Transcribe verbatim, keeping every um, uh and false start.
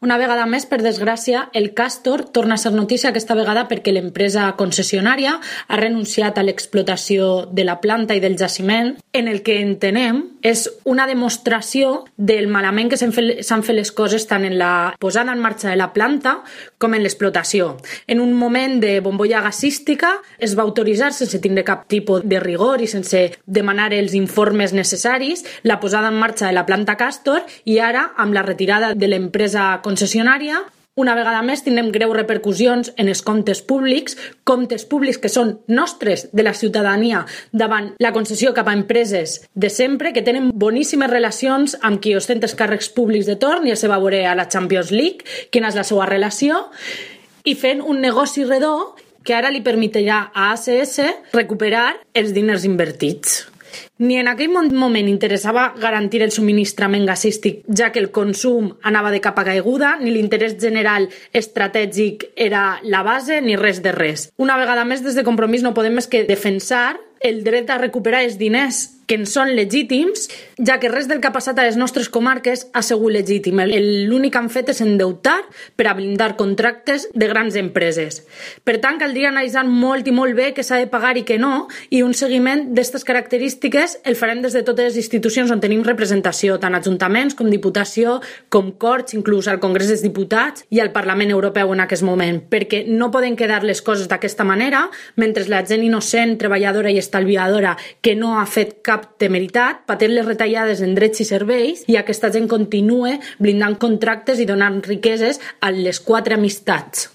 Una vegada més, per desgràcia, el Castor torna a ser notícia aquesta vegada perquè l'empresa concessionària ha renunciat a l'explotació de la planta i del jaciment, en el que entenem és una demostració del malament que s'han fet, s'han fet les coses tant en la posada en marxa de la planta com en l'explotació. En un moment de bombolla gasística es va autoritzar, sense tindre cap tipus de rigor i sense demanar els informes necessaris, la posada en marxa de la planta Castor, i ara, amb la retirada de l'empresa concessionària, una vegada més tindrem greus repercussions en els comptes públics, comptes públics que són nostres, de la ciutadania, davant la concessió cap a empreses de sempre, que tenen boníssimes relacions amb qui ostenta els càrrecs públics de torn, ja se va veure a la Champions League quina és la seva relació, i fent un negoci redó que ara li permetrà a A C S recuperar els diners invertits. Ni en aquell moment interessava garantir el subministrament gasístic, ja que el consum anava de capa caiguda, ni l'interès general estratègic era la base, ni res de res. Una vegada més, des de Compromís no podem més que defensar el dret a recuperar els diners que en són legítims, ja que res del que ha passat a les nostres comarques ha sigut legítim. L'únic que han fet és endeutar per a blindar contractes de grans empreses. Per tant, caldria analitzar molt i molt bé què s'ha de pagar i què no, i un seguiment d'aquestes característiques el farem des de totes les institucions on tenim representació, tant ajuntaments com diputació, com Corts, inclús al Congrés dels Diputats i al Parlament Europeu en aquest moment, perquè no poden quedar les coses d'aquesta manera mentre la gent innocent, treballadora i estalviadora que no ha fet cap temeritat, patint les retallades en drets i serveis, i aquesta gent continue blindant contractes i donant riqueses a les quatre amistats.